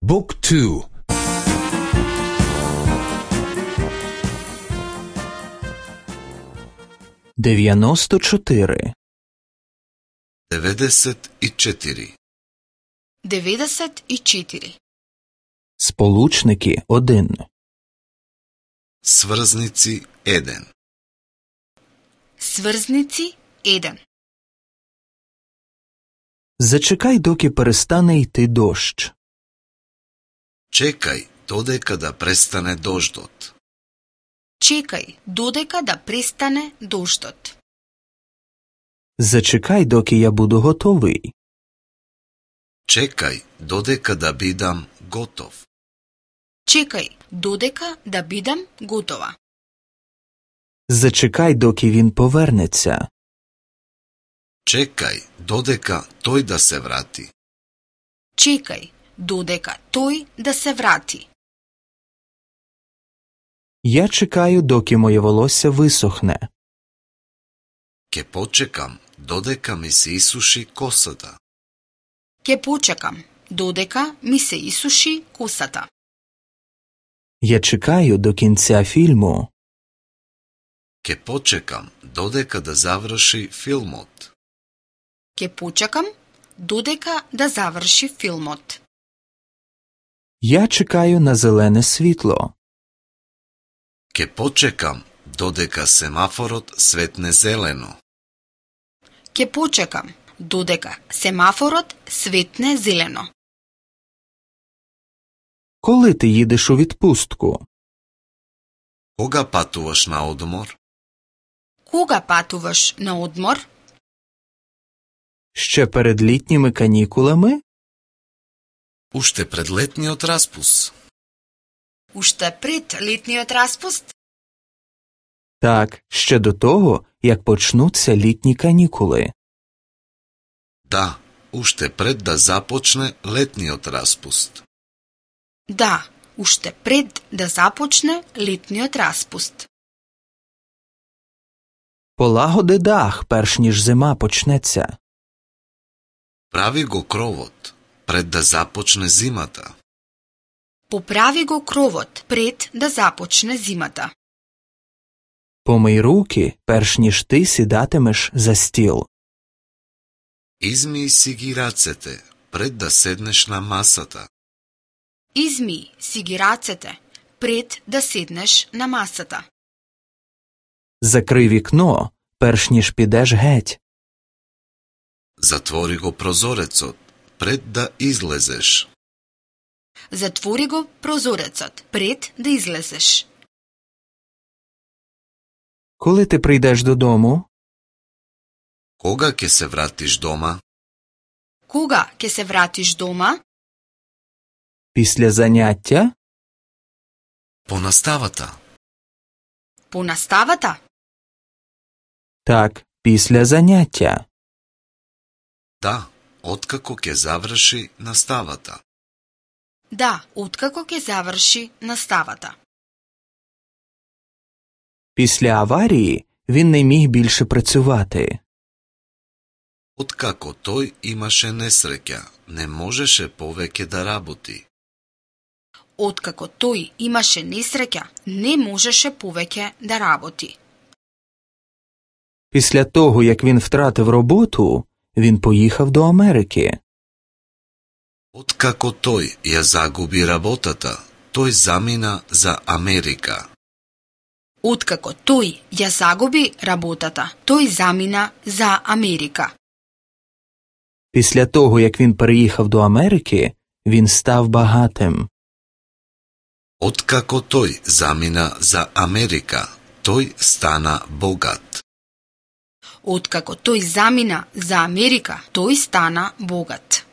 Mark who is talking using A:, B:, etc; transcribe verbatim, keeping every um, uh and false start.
A: Book two.
B: дев'яносто чотири.
C: деведесет и чотири.
D: деведесет и чотири.
B: Сполучники один.
C: Сврзници еден.
D: Сврзници еден.
B: Зачекай, доки перестане йти дощ.
C: Чекај додека да престане дождот.
D: Чекај додека да престане дождот.
B: Зачекай, доки я буду готовий.
C: Чекај додека да бидам готов.
D: Чекај додека да бидам готова.
B: Зачекай, доки він повернеться.
C: Чекај додека тој да се врати.
D: Чекај додека тој да се врати.
B: Я чекаю, доки моє волосся висохне.
C: Ке почекам додека ми се исуши косата.
D: Ке почекам додека ми се исуши косата.
B: Я чекаю до кінця фільму.
C: Ке почекам додека да заврши филмот.
D: Ке почекам додека да заврши филмот.
B: Я чекаю на зелене світло.
C: Ке почекам додека семафорот светне зелено.
D: Ке почекам додека семафорот светне зелено.
B: Коли ти їдеш у відпустку?
C: Кога патуваш на одмор?
D: Кога патуваш на одмор?
B: Ще перед літніми канікулами?
C: Уште пред летниот распуст.
D: Уште пред летниот распуст?
B: Так, ще до того, як почнуться літні канікули.
C: Да, уште пред да започне летниот распуст.
D: Да, уште пред да започне летниот распуст.
B: Полагоди дах, перш ніж зима почнеться.
C: Прави го кровот пред да започне зимата.
D: Поправи го кровот пред да започне зимата.
B: Помий руки, перш ніж ти сідатимеш за стіл.
C: Измии си ги рацете пред да седнеш на масата.
D: Измий си ги рацете пред да седнеш на масата.
B: Закрий вікно, перш ніж підеш геть.
C: Затвори го прозорецот пред да излезеш.
D: Затвори го прозорецот пред да излезеш.
B: Коли ти прийдеш додому?
C: Кога ќе се вратиш дома?
D: Кога ќе се вратиш дома?
B: Після заняття?
C: По наставата.
D: По наставата?
B: Так, після заняття.
C: Да, откако ќе заврши наставата.
D: Да, откако ќе заврши наставата.
B: Після аварії він не міг більше працювати.
C: Откако тој имаше несреќа, не можеше повеќе да работи.
D: Откако тој имаше несреќа, не можеше повеќе да работи.
B: Після того, як він втратив роботу, він поїхав до Америки.
C: Откако тој ја загуби работата, тој замина за Америка.
D: Откако тој ја загуби работата, тој замина за Америка.
B: Після того, як він переїхав до Америки, він став багатим.
C: Откако тој замина за Америка, тој стана богат.
D: Откако тој замина за Америка, тој стана богат.